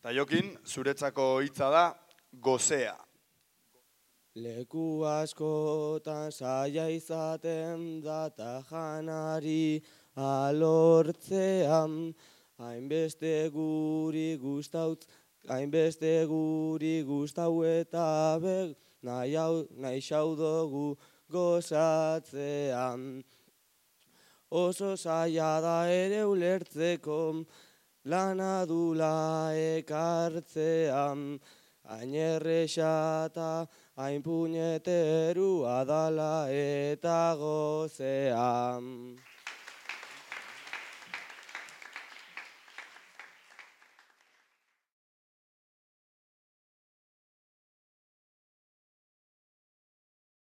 Ta Jokin, zuretzako hitza da gozea. Leku askotan saia izaten da ta janari alortzean, hainbeste guri gustau eta nahi xaudogu gozatzean. Oso saia da ere ulertzeko lana dula ekartzean, hain erresa eta hain puñeterua dala eta gozean.